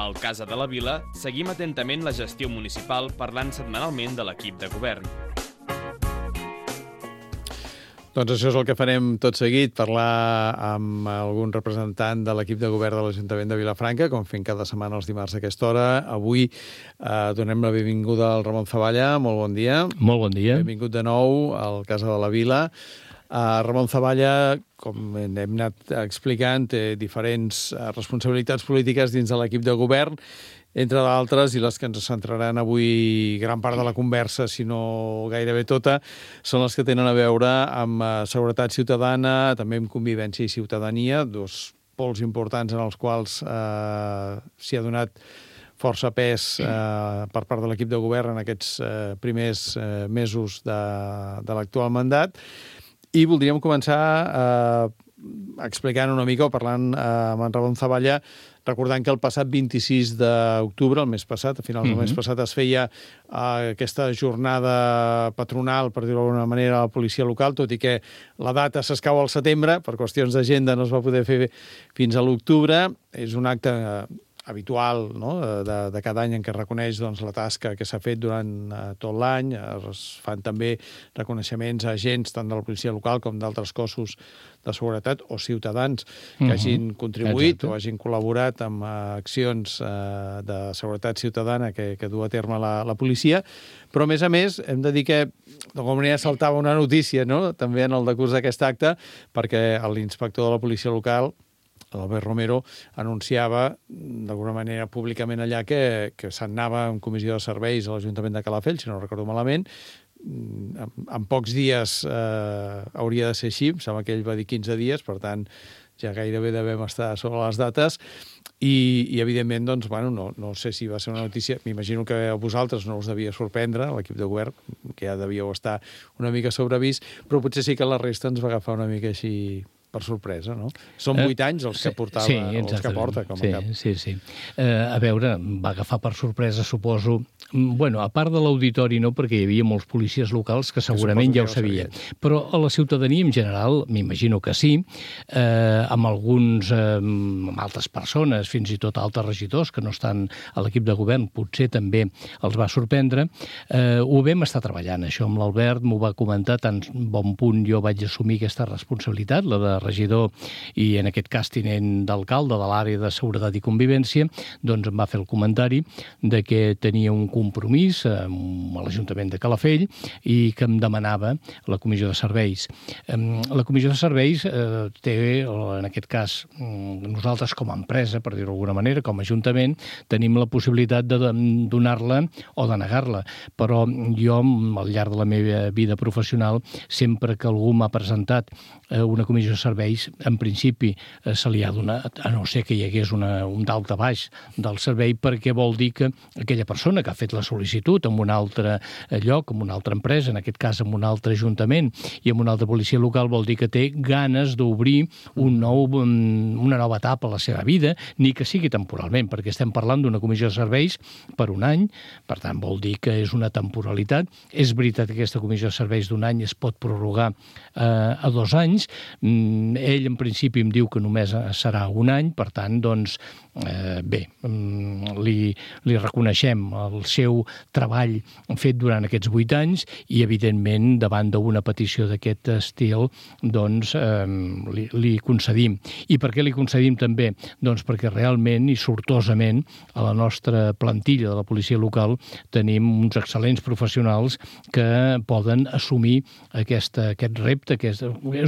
Al Casa de la Vila seguim atentament la gestió municipal parlant setmanalment de l'equip de govern. Doncs això és el que farem tot seguit, parlar amb algun representant de l'equip de govern de l'Ajuntament de Vilafranca, com fem cada setmana els dimarts a aquesta hora. Avui donem la benvinguda al Ramon Zavalla. Molt bon dia. Molt bon dia. Benvingut de nou al Casa de la Vila. Ramon Zavalla, com hem anat explicant, té diferents responsabilitats polítiques dins de l'equip de govern, entre d'altres, i les que ens centraran avui gran part de la conversa, si no gairebé tota, són les que tenen a veure amb seguretat ciutadana, també amb convivència i ciutadania, dos pols importants en els quals s'hi ha donat força pes per part de l'equip de govern en aquests primers mesos de l'actual mandat. I voldríem començar explicant una mica o parlant amb en Ramon Zavalla, recordant que el passat 26 d'octubre, el mes passat, a finals del mes passat, es feia aquesta jornada patronal, per dir-ho d'alguna manera, a la policia local, tot i que la data s'escau al setembre, per qüestions d'agenda no es va poder fer fins a l'octubre. És un acte habitual, no?, de cada any en què es reconeix la tasca que s'ha fet durant tot l'any. Es fan també reconeixements a agents tant de la policia local com d'altres cossos de seguretat o ciutadans que hagin contribuït o hagin col·laborat amb accions de seguretat ciutadana que du a terme la policia. Però, a més, hem de dir que d'alguna manera saltava una notícia, no?, també en el decurs d'aquest acte, perquè l'inspector de la policia local, l'Albert Romero, anunciava d'alguna manera públicament allà que se'n anava en comissió de serveis a l'Ajuntament de Calafell, si no recordo malament. En pocs dies hauria de ser així, em sembla que ell va dir 15 dies, per tant ja gairebé devem estar sobre les dates, i evidentment, doncs, bueno, no sé si va ser una notícia, m'imagino que a vosaltres no us devia sorprendre, l'equip de govern, que ja devíeu estar una mica sobrevist, però potser sí que la resta ens va agafar una mica així per sorpresa, no? Són 8 anys els que portava, els que porta com a cap. Sí. A veure, va agafar per sorpresa, suposo. Bueno, a part de l'auditori no, perquè hi havia molts policies locals que segurament ja ho sabien. Però a la ciutadania en general, m'imagino que sí, amb amb altres persones, fins i tot altres regidors que no estan a l'equip de govern, potser també els va sorprendre. Ho vam estar treballant, això amb l'Albert, m'ho va comentar, tan bon punt jo vaig assumir aquesta responsabilitat, la de regidor i en aquest cas tinent d'alcalde de l'àrea de seguretat i convivència, doncs em va fer el comentari de que tenia un compromís amb l'Ajuntament de Calafell i que em demanava la comissió de serveis. La comissió de serveis té, en aquest cas, nosaltres com a empresa, per dir-ho d'alguna manera, com a Ajuntament, tenim la possibilitat de donar-la o de negar-la, però jo, al llarg de la meva vida professional, sempre que algú m'ha presentat una comissió de serveis, en principi se li ha donat, a no ser que hi hagués un daltabaix del servei, perquè vol dir que aquella persona que ha fet la sol·licitud en un altre lloc, en una altra empresa, en aquest cas en un altre ajuntament i en una altra policia local, vol dir que té ganes d'obrir una nova etapa a la seva vida, ni que sigui temporalment, perquè estem parlant d'una comissió de serveis per un any, per tant vol dir que és una temporalitat. És veritat que aquesta comissió de serveis d'un any es pot prorrogar a 2 anys. Ell, en principi, em diu que només serà un any, per tant, doncs, bé, li reconeixem el seu treball fet durant aquests 8 anys i, evidentment, davant d'una petició d'aquest estil, doncs, li concedim. I per què li concedim també? Doncs perquè realment i sortosament a la nostra plantilla de la policia local tenim uns excel·lents professionals que poden assumir aquest repte, que és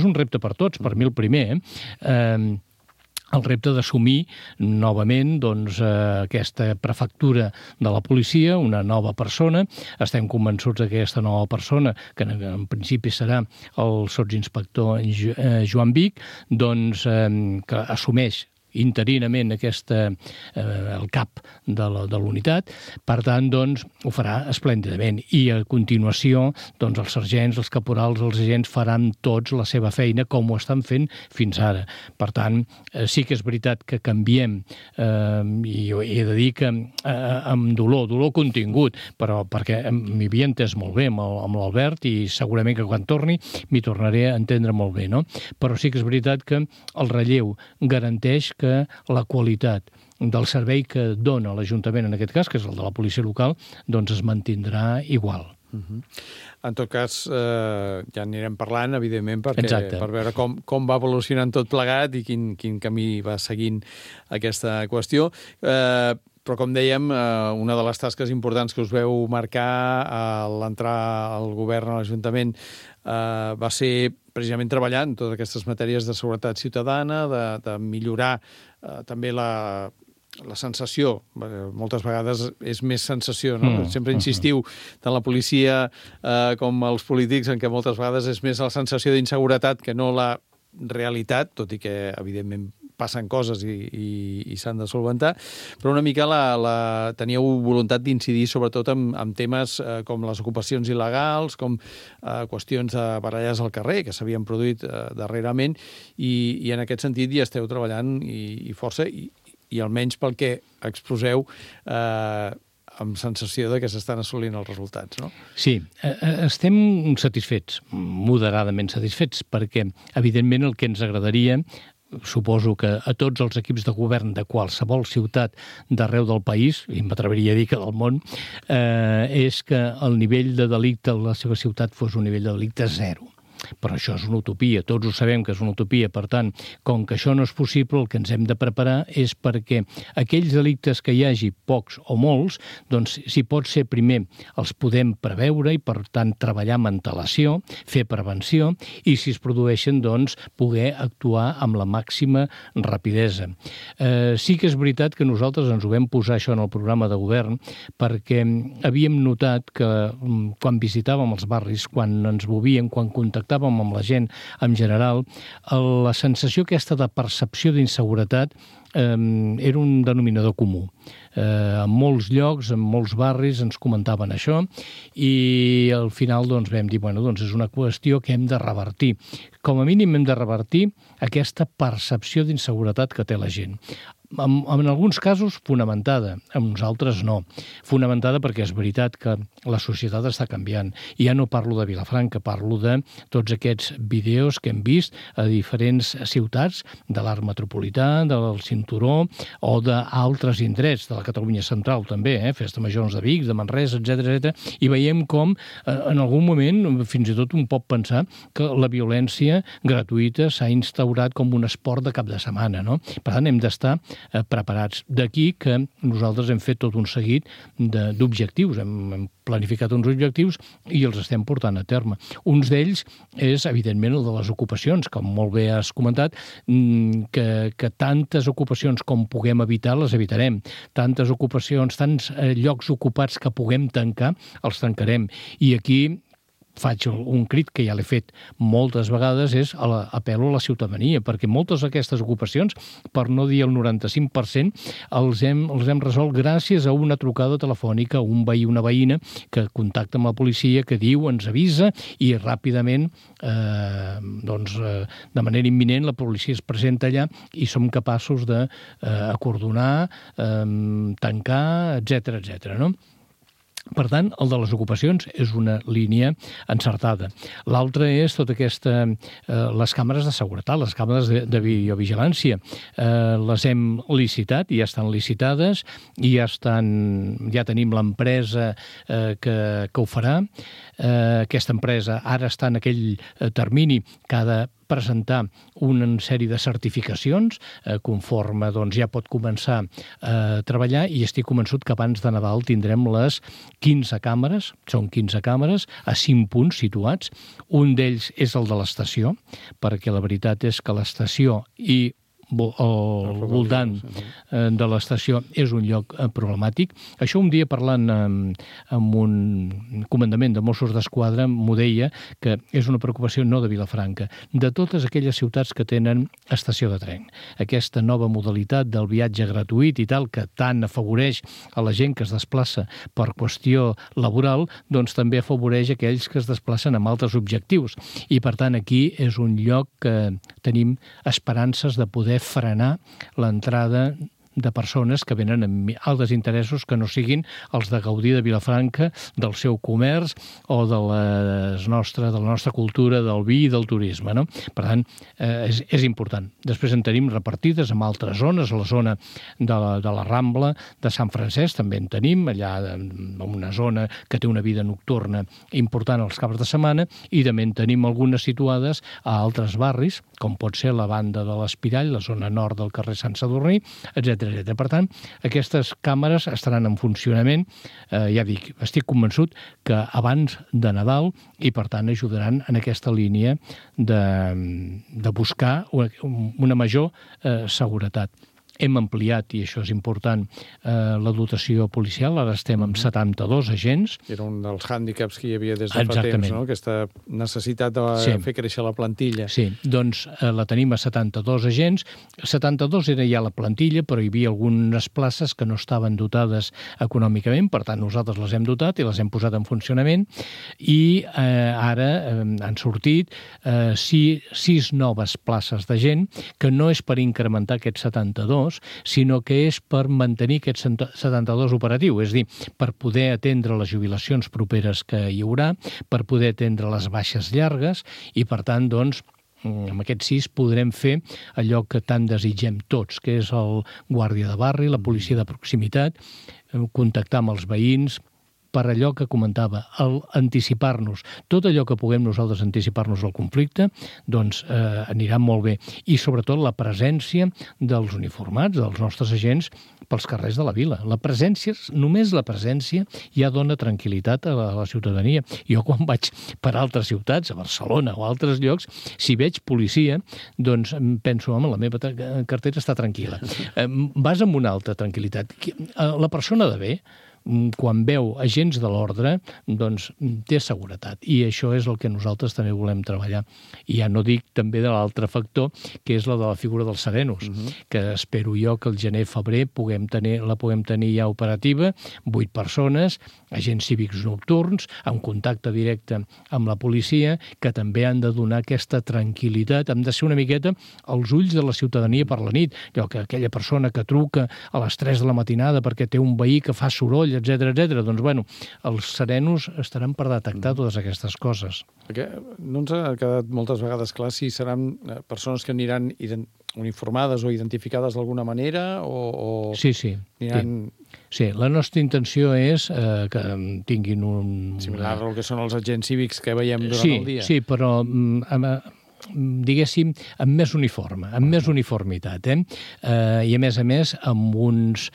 un repte per tots, per mi el primer, el repte d'assumir novament aquesta prefectura de la policia, una nova persona. Estem convençuts que aquesta nova persona, que en principi serà el sotsinspector Joan Vic, doncs que assumeix interinament el cap de l'unitat. Per tant, doncs, ho farà esplèndidament. I a continuació, doncs, els sergents, els caporals, els agents faran tots la seva feina com ho estan fent fins ara. Per tant, sí que és veritat que canviem, i he de dir que amb dolor contingut, però perquè m'hi havia entès molt bé amb l'Albert i segurament que quan torni m'hi tornaré a entendre molt bé, no? Però sí que és veritat que el relleu garanteix que que la qualitat del servei que dona l'Ajuntament, en aquest cas, que és el de la policia local, doncs es mantindrà igual. En tot cas, ja anirem parlant, evidentment, per veure com va evolucionant tot plegat i quin camí va seguint aquesta qüestió. Però, com dèiem, una de les tasques importants que us veu marcar a l'entrar al govern, a l'Ajuntament, va ser precisament treballar en totes aquestes matèries de seguretat ciutadana, de millorar també la sensació, moltes vegades és més sensació, no? Sempre insistiu, tant la policia com els polítics, en què moltes vegades és més la sensació d'inseguretat que no la realitat, tot i que, evidentment, passen coses i s'han de solventar, però una mica teníeu voluntat d'incidir sobretot en temes com les ocupacions il·legals, com qüestions de baralles al carrer, que s'havien produït darrerament, i en aquest sentit hi esteu treballant i força, i almenys pel que exposeu, amb sensació de que s'estan assolint els resultats, no? Sí, estem satisfets, moderadament satisfets, perquè, evidentment, el que ens agradaria, suposo que a tots els equips de govern de qualsevol ciutat d'arreu del país, i m'atreviria a dir que del món, és que el nivell de delicte a la seva ciutat fos un nivell de delicte zero. Però això és una utopia, tots ho sabem que és una utopia, per tant, com que això no és possible, el que ens hem de preparar és perquè aquells delictes que hi hagi, pocs o molts, doncs, si pot ser primer, els podem preveure i, per tant, treballar amb antelació, fer prevenció, i si es produeixen, doncs, poder actuar amb la màxima rapidesa. Sí que és veritat que nosaltres ens ho vam posar això en el programa de govern perquè havíem notat que quan visitàvem els barris, quan ens movíem, quan contactàvem amb la gent en general, la sensació aquesta de percepció d'inseguretat era un denominador comú. En molts llocs, en molts barris ens comentaven això i al final doncs, vam dir, bueno, doncs és una qüestió que hem de revertir. Com a mínim hem de revertir aquesta percepció d'inseguretat que té la gent. En alguns casos fonamentada, en uns altres no. Fonamentada perquè és veritat que la societat està canviant. I ja no parlo de Vilafranca, parlo de tots aquests vídeos que hem vist a diferents ciutats de l'Arc Metropolità, del Cinturó o d'altres indrets, de la Catalunya Central també, Festa Majors de Vic, de Manresa, etc. I veiem com en algun moment fins i tot un pot pensar que la violència gratuïta s'ha instaurat com un esport de cap de setmana, no? Per tant, hem d'estar preparats. D'aquí que nosaltres hem fet tot un seguit d'objectius, hem planificat uns objectius i els estem portant a terme. Uns d'ells és, evidentment, el de les ocupacions, com molt bé has comentat, que tantes ocupacions com puguem evitar, les evitarem. Tantes ocupacions, tants llocs ocupats que puguem tancar, els tancarem. I aquí faig un crit que ja l'he fet moltes vegades, és apel·lo a la ciutadania, perquè moltes d'aquestes ocupacions, per no dir el 95%, els hem resolt gràcies a una trucada telefònica, un veí, una veïna, que contacta amb la policia, que diu, ens avisa, i ràpidament, de manera imminent, la policia es presenta allà i som capaços d'acordonar, tancar, etc., no? Per tant, el de les ocupacions és una línia encertada. L'altra és les càmeres de seguretat, les càmeres de videovigilància. Les hem licitat, ja estan licitades, i ja tenim l'empresa que ho farà. Aquesta empresa ara està en aquell termini que ha de presentar una sèrie de certificacions conforme ja pot començar a treballar, i estic convençut que abans de Nadal tindrem les 15 càmeres, són 15 càmeres, a 5 punts situats. Un d'ells és el de l'estació, perquè la veritat és que l'estació i al voltant de l'estació és un lloc problemàtic. Això un dia parlant amb un comandament de Mossos d'Esquadra m'ho deia, que és una preocupació no de Vilafranca, de totes aquelles ciutats que tenen estació de tren. Aquesta nova modalitat del viatge gratuït i tal, que tant afavoreix a la gent que es desplaça per qüestió laboral, doncs també afavoreix aquells que es desplacen amb altres objectius. I per tant aquí és un lloc que tenim esperances de poder frenar l'entrada de persones que venen amb altres interessos que no siguin els de gaudir de Vilafranca, del seu comerç o de la nostra cultura, del vi i del turisme, no? Per tant, és important. Després en tenim repartides en altres zones, a la zona de la Rambla de Sant Francesc també en tenim, allà en una zona que té una vida nocturna important als caps de setmana, i també en tenim algunes situades a altres barris, com pot ser la banda de l'Espirall, la zona nord del carrer Sant Sadurní, etc. Per tant, aquestes càmeres estaran en funcionament, ja dic, estic convençut que abans de Nadal, i per tant ajudaran en aquesta línia de buscar una major seguretat. Hem ampliat, i això és important, la dotació policial. Ara estem amb 72 agents. Era un dels hàndicaps que hi havia des de fa temps, no? Aquesta necessitat de fer créixer la plantilla. Sí, doncs la tenim a 72 agents. 72 era ja la plantilla, però hi havia algunes places que no estaven dotades econòmicament, per tant nosaltres les hem dotat i les hem posat en funcionament, i ara han sortit 6 noves places de gent, que no és per incrementar aquests 72, sinó que és per mantenir aquest 72 operatiu, és a dir, per poder atendre les jubilacions properes que hi haurà, per poder atendre les baixes llargues, i per tant, doncs, amb aquests 6 podrem fer allò que tant desitgem tots, que és el guàrdia de barri, la policia de proximitat, contactar amb els veïns, per allò que comentava, anticipar-nos. Tot allò que puguem nosaltres anticipar-nos al conflicte, doncs anirà molt bé. I sobretot la presència dels uniformats, dels nostres agents, pels carrers de la vila. La presència, només la presència, ja dona tranquil·litat a la ciutadania. Jo quan vaig per altres ciutats, a Barcelona o a altres llocs, si veig policia, doncs penso, home, la meva cartera està tranquil·la. Vas amb una altra tranquil·litat. La persona de bé, quan veu agents de l'ordre, doncs té seguretat. I això és el que nosaltres també volem treballar. I ja no dic també de l'altre factor, que és la de la figura dels serenos, que espero jo que el gener-febrer la puguem tenir ja operativa, 8 persones, agents cívics nocturns, amb contacte directe amb la policia, que també han de donar aquesta tranquil·litat, han de ser una miqueta als ulls de la ciutadania per la nit. Allò que aquella persona que truca a les 3 de la matinada perquè té un veí que fa soroll, etc. Doncs, bueno, els serenos estaran per detectar totes aquestes coses. Perquè no ens ha quedat moltes vegades clar si seran persones que aniran uniformades o identificades d'alguna manera o... Sí. Aniran... Sí, la nostra intenció és que tinguin un... Similar al que són els agents cívics que veiem durant el dia. Sí, però diguéssim, amb més uniforme, amb més uniformitat, i a més amb uns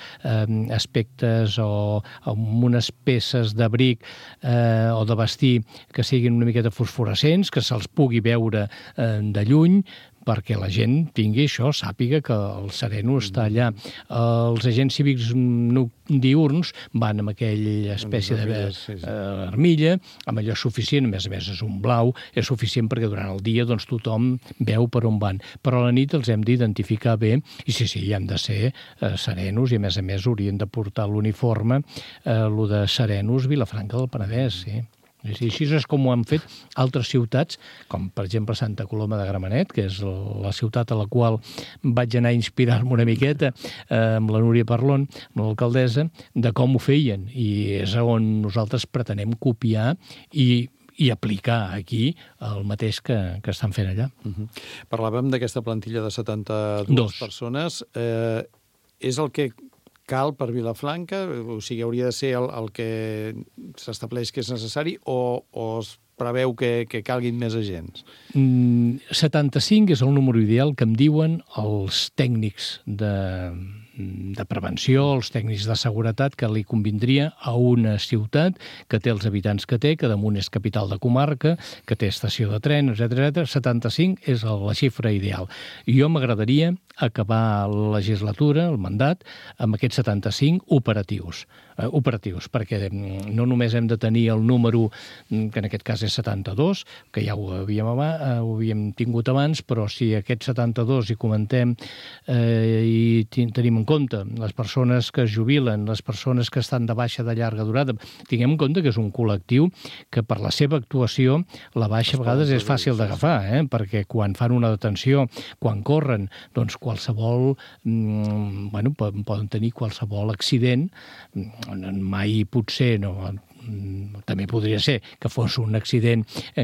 aspectes o amb unes peces d'abric o de vestir que siguin una miqueta fosforescents, que se'ls pugui veure de lluny, perquè la gent tingui això, sàpiga que el sereno està allà. Els agents cívics diürns van amb aquella espècie d'armilla, amb allò suficient, a més és un blau, és suficient perquè durant el dia doncs, tothom veu per on van. Però a la nit els hem d'identificar bé, i sí, hi han de ser serenos, i a més haurien de portar l'uniforme, lo de serenos Vilafranca del Penedès, sí. Així és com ho han fet altres ciutats, com per exemple Santa Coloma de Gramenet, que és la ciutat a la qual vaig anar a inspirar-me una miqueta amb la Núria Parlon, amb l'alcaldessa, de com ho feien. I és on nosaltres pretenem copiar i aplicar aquí el mateix que estan fent allà. Parlàvem d'aquesta plantilla de 72 persones. És el que cal per Vilafranca? O sigui, hauria de ser el que s'estableix que és necessari o es preveu que calguin més agents? 75 és el número ideal que em diuen els tècnics de prevenció, els tècnics de seguretat, que li convindria a una ciutat que té els habitants que té, que damunt és capital de comarca, que té estació de tren, etc. 75 és la xifra ideal. Jo m'agradaria acabar la legislatura, el mandat, amb aquests 75 operatius, perquè no només hem de tenir el número, que en aquest cas és 72, que ja ho havíem tingut abans, però si aquests 72 hi comentem i tenim en compte les persones que es jubilen, les persones que estan de baixa de llarga durada. Tinguem en compte que és un col·lectiu que per la seva actuació la baixa a vegades és fàcil d'agafar, perquè quan fan una detenció, quan corren, doncs qualsevol, poden tenir qualsevol accident, mai potser no... També podria ser que fos un accident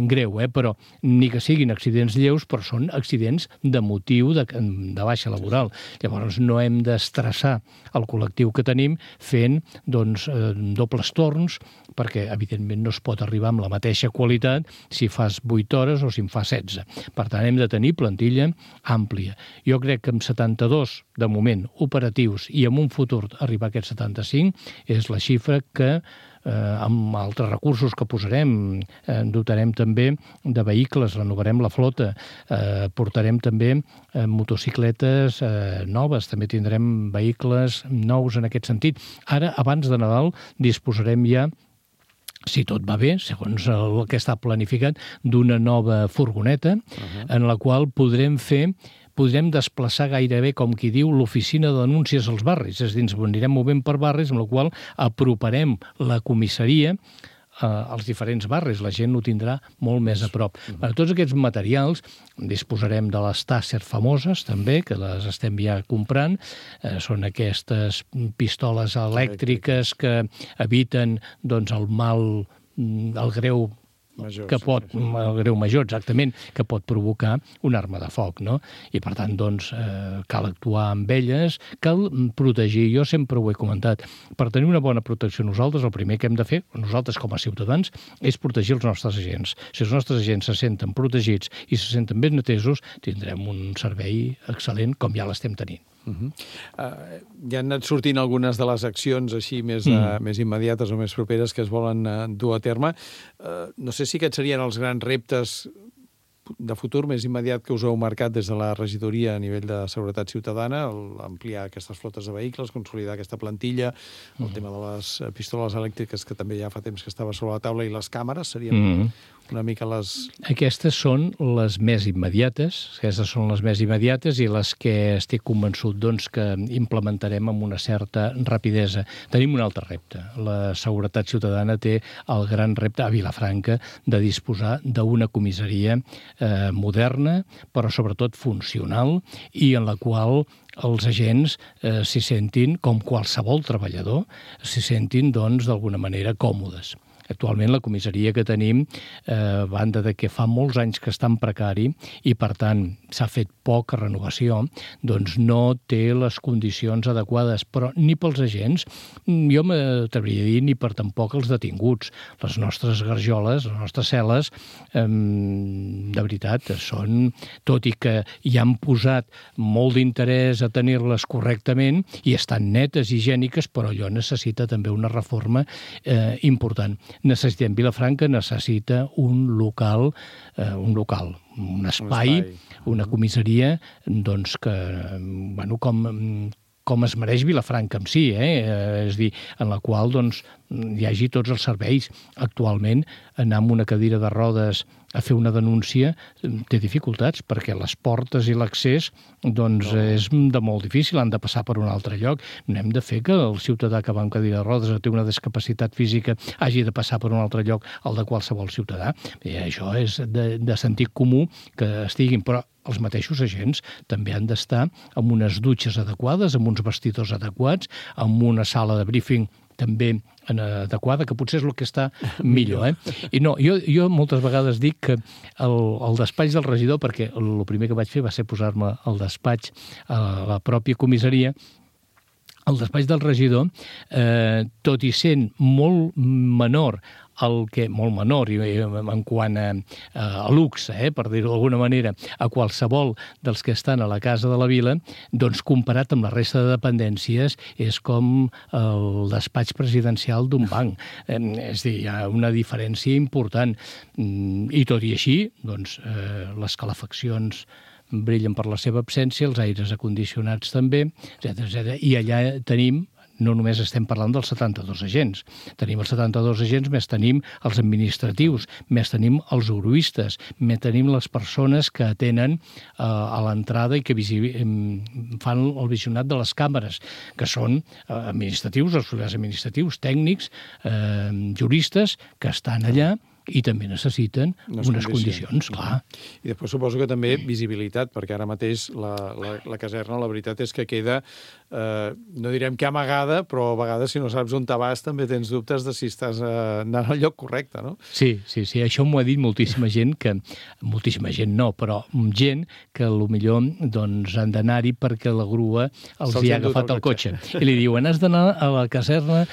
greu, però ni que siguin accidents lleus, però són accidents de motiu de baixa laboral. Llavors no hem d'estressar el col·lectiu que tenim fent dobles torns, perquè evidentment no es pot arribar amb la mateixa qualitat si fas 8 hores o si en fas 16. Per tant, hem de tenir plantilla àmplia. Jo crec que amb 72, de moment, operatius i en un futur arribar a aquests 75 és la xifra que amb altres recursos que posarem, dotarem també de vehicles, renovarem la flota, portarem també motocicletes noves, també tindrem vehicles nous en aquest sentit. Ara, abans de Nadal, disposarem ja, si tot va bé, segons el que està planificat, d'una nova furgoneta en la qual podrem desplaçar gairebé, com qui diu, l'oficina de denúncies als barris. És a dir, ens anirem movent per barris, amb la qual aproparem la comissaria als diferents barris. La gent ho tindrà molt més a prop. Per tots aquests materials disposarem de les Taser famoses, també, que les estem ja comprant. Són aquestes pistoles elèctriques que eviten el mal, el greu major, el greu major, exactament, que pot provocar una arma de foc, no? I, per tant, cal actuar amb elles, cal protegir. Jo sempre ho he comentat. Per tenir una bona protecció nosaltres, el primer que hem de fer, nosaltres com a ciutadans, és protegir els nostres agents. Si els nostres agents se senten protegits i se senten ben atesos, tindrem un servei excel·lent, com ja l'estem tenint. Ja han anat sortint algunes de les accions així més immediates o més properes que es volen dur a terme. No sé si aquests serien els grans reptes de futur més immediat que us heu marcat des de la regidoria a nivell de seguretat ciutadana, ampliar aquestes flotes de vehicles, consolidar aquesta plantilla, el tema de les pistoles elèctriques, que també ja fa temps que estava sobre la taula, i les càmeres serien una mica les... Aquestes són les més immediates, i les que estic convençut que implementarem amb una certa rapidesa. Tenim un altre repte. La seguretat ciutadana té el gran repte a Vilafranca de disposar d'una comissaria moderna, però sobretot funcional, i en la qual els agents s'hi sentin, com qualsevol treballador, s'hi sentin, d'alguna manera, còmodes. Actualment la comissaria que tenim, a banda de que fa molts anys que està en precari i, per tant, s'ha fet poca renovació, no té les condicions adequades, però ni pels agents, jo m'atreviria a dir, ni per tampoc els detinguts. Les nostres garjoles, les nostres cel·les, de veritat, són, tot i que hi han posat molt d'interès a tenir-les correctament i estan netes, higièniques, però allò necessita també una reforma important. Vilafranca necessita un local, un espai, una comissaria, com es mereix Vilafranca en si, és a dir, en la qual hi hagi tots els serveis. Actualment, anar amb una cadira de rodes a fer una denúncia té dificultats, perquè les portes i l'accés és de molt difícil, han de passar per un altre lloc. No hem de fer que el ciutadà que va amb cadira de rodes o té una discapacitat física hagi de passar per un altre lloc al de qualsevol ciutadà. Això és de sentit comú que estiguin, però els mateixos agents també han d'estar amb unes dutxes adequades, amb uns vestidors adequats, amb una sala de briefing també adequada, que potser és el que està millor. I no, jo moltes vegades dic que el despatx del regidor, perquè el primer que vaig fer va ser posar-me al despatx a la pròpia comissaria, el despatx del regidor, tot i sent molt menor molt menor en quant a luxe, per dir-ho d'alguna manera, a qualsevol dels que estan a la Casa de la Vila, comparat amb la resta de dependències, és com el despatx presidencial d'un banc. És a dir, hi ha una diferència important. I tot i així, les calefaccions brillen per la seva absència, els aires acondicionats també, etc. I allà tenim, no només estem parlant dels 72 agents. Tenim els 72 agents, més tenim els administratius, més tenim els uruistes, més tenim les persones que atenen a l'entrada i que fan el visionat de les càmeres, que són administratius, auxiliars administratius, tècnics, juristes, que estan allà i també necessiten unes condicions, clar. I després suposo que també visibilitat, perquè ara mateix la caserna, la veritat és que queda, no direm que amagada, però a vegades si no saps on te vas també tens dubtes de si estàs anant al lloc correcte, no? Sí, això m'ho ha dit moltíssima gent, moltíssima gent no, però gent que potser doncs, han d'anar-hi perquè la grua els hi ha agafat el cotxe. I li diuen, has d'anar a la caserna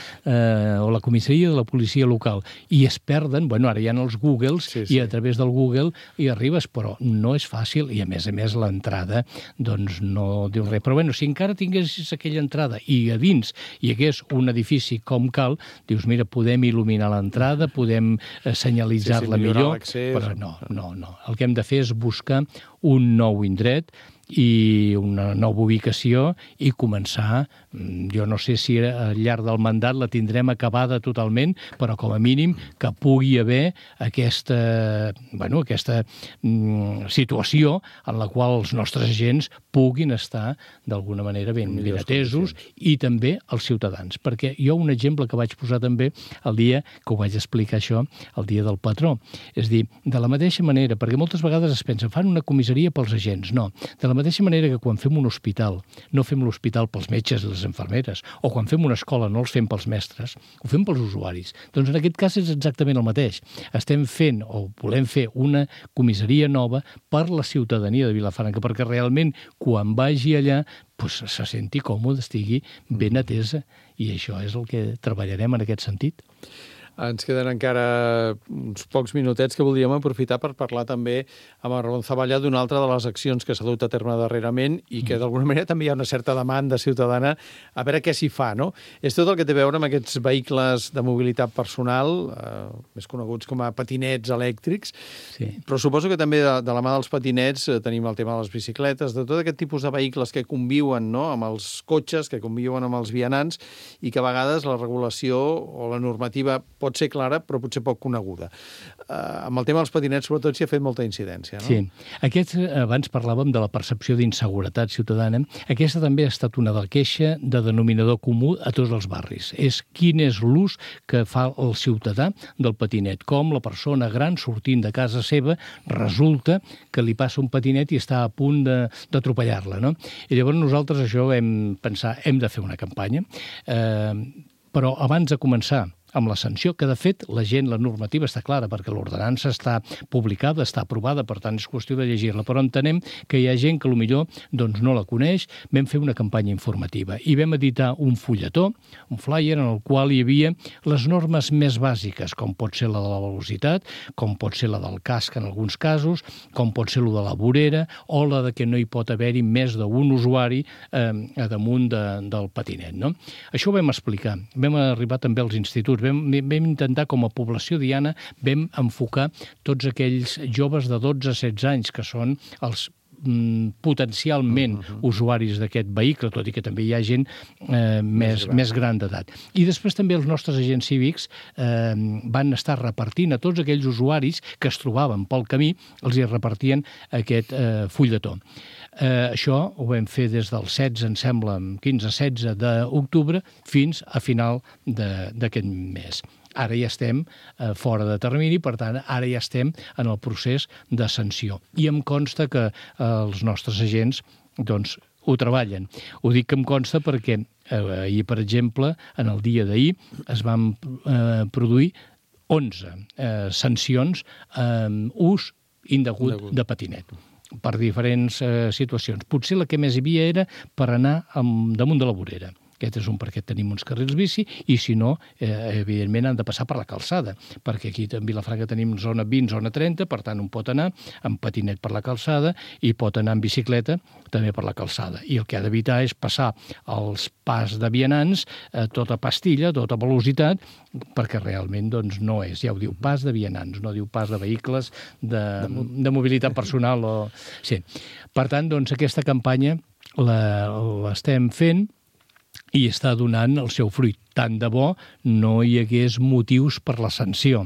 o la comissaria de la policia local. I es perden, ara hi ha els Googles, i a través del Google hi arribes, però no és fàcil, i a més l'entrada doncs no diu res. Però si encara tinguessis aquella entrada i a dins hi hagués un edifici com cal, dius, mira, podem il·luminar l'entrada, podem senyalitzar-la millor, però no. El que hem de fer és buscar un nou indret i una nova ubicació i començar, jo no sé si al llarg del mandat la tindrem acabada totalment, però com a mínim que pugui haver aquesta situació en la qual els nostres agents puguin estar d'alguna manera ben atesos i també els ciutadans. Perquè jo un exemple que vaig posar també el dia que ho vaig explicar això, el dia del patró. És dir, de la mateixa manera, perquè moltes vegades es pensa, fan una comissaria pels agents. No, de la mateixa manera que quan fem un hospital, no fem l'hospital pels metges i les infermeres, o quan fem una escola no els fem pels mestres, ho fem pels usuaris. Doncs en aquest cas és exactament el mateix. Estem fent o volem fer una comissaria nova per la ciutadania de Vilafranca, perquè realment quan vagi allà se senti còmode, estigui ben atesa, i això és el que treballarem en aquest sentit. Ens queden encara uns pocs minutets que voldríem aprofitar per parlar també amb el Ramon Zavalla d'una altra de les accions que s'ha dut a terme darrerament i que d'alguna manera també hi ha una certa demanda ciutadana a veure què s'hi fa, no? És tot el que té a veure amb aquests vehicles de mobilitat personal, més coneguts com a patinets elèctrics, però suposo que també de la mà dels patinets tenim el tema de les bicicletes, de tot aquest tipus de vehicles que conviuen amb els cotxes, que conviuen amb els vianants i que a vegades la regulació o la normativa pot ser clara, però potser poc coneguda. Amb el tema dels patinets, sobretot, s'hi ha fet molta incidència, no? Sí. Abans parlàvem de la percepció d'inseguretat ciutadana. Aquesta també ha estat una queixa de denominador comú a tots els barris. És quin és l'ús que fa el ciutadà del patinet. Com la persona gran, sortint de casa seva, resulta que li passa un patinet i està a punt d'atropellar-la, no? I llavors nosaltres això hem pensat, hem de fer una campanya, però abans de començar amb la sanció, que de fet la normativa està clara, perquè l'ordenança està publicada, està aprovada, per tant és qüestió de llegir-la, però entenem que hi ha gent que potser no la coneix. Vam fer una campanya informativa i vam editar un fulletó, un flyer, en el qual hi havia les normes més bàsiques, com pot ser la de la velocitat, com pot ser la del casc en alguns casos, com pot ser la de la vorera, o la de que no hi pot haver-hi més d'un usuari a damunt del patinet, no? Això ho vam explicar. Vam arribar també als instituts. Vam intentar, com a població diana, vam enfocar tots aquells joves de 12 a 16 anys, que són els potencialment usuaris d'aquest vehicle, tot i que també hi ha gent més gran d'edat. I després també els nostres agents cívics van estar repartint a tots aquells usuaris que es trobaven pel camí, els hi repartien aquest fulletó. Això ho vam fer des del 16, em sembla, 15-16 d'octubre, fins a final d'aquest mes. Ara ja estem fora de termini, per tant, ara ja estem en el procés de sanció. I em consta que els nostres agents ho treballen. Ho dic que em consta perquè ahir, per exemple, en el dia d'ahir es van produir 11 sancions ús indegut de patinet per diferents situacions. Potser la que més hi havia era per anar damunt de la vorera. Aquest és un perquè tenim uns carrils bici i, si no, evidentment han de passar per la calçada, perquè aquí a Vilafranca tenim zona 20, zona 30, per tant un pot anar amb patinet per la calçada i pot anar amb bicicleta també per la calçada. I el que ha d'evitar és passar els pas de vianants a tota pastilla, a tota velocitat, perquè realment no és. Ja ho diu, pas de vianants, no diu pas de vehicles de mobilitat personal. Sí. Per tant, aquesta campanya l'estem fent i està donant el seu fruit. Tant de bo no hi hagués motius per la sanció,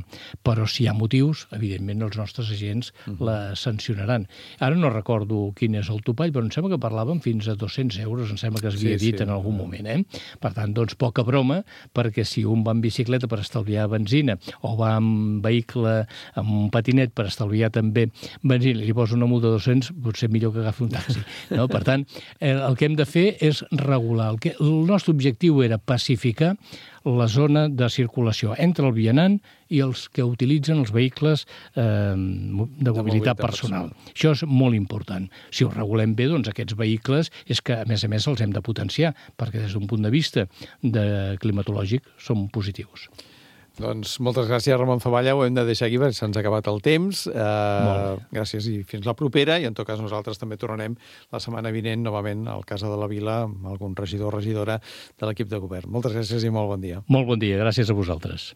però si hi ha motius, evidentment els nostres agents la sancionaran. Ara no recordo quin és el topall, però em sembla que parlàvem fins a 200 euros, em sembla que es havia dit en algun moment. Per tant, doncs, poca broma, perquè si un va en bicicleta per estalviar benzina o va en vehicle, amb un patinet per estalviar també benzina, i li posa una multa de 200, potser millor que agafi un taxi. No? Per tant, el que hem de fer és regular. El nostre objectiu era pacificar la zona de circulació entre el vianant i els que utilitzen els vehicles de mobilitat personal. Això és molt important. Si ho regulem bé, doncs aquests vehicles és que, a més, els hem de potenciar, perquè des d'un punt de vista climatològic són positius. Doncs moltes gràcies, Ramon Zavalla. Ho hem de deixar aquí perquè se'ns ha acabat el temps. Gràcies i fins la propera. I en tot cas nosaltres també tornarem la setmana vinent novament al Casa de la Vila amb algun regidor o regidora de l'equip de govern. Moltes gràcies i molt bon dia. Molt bon dia. Gràcies a vosaltres.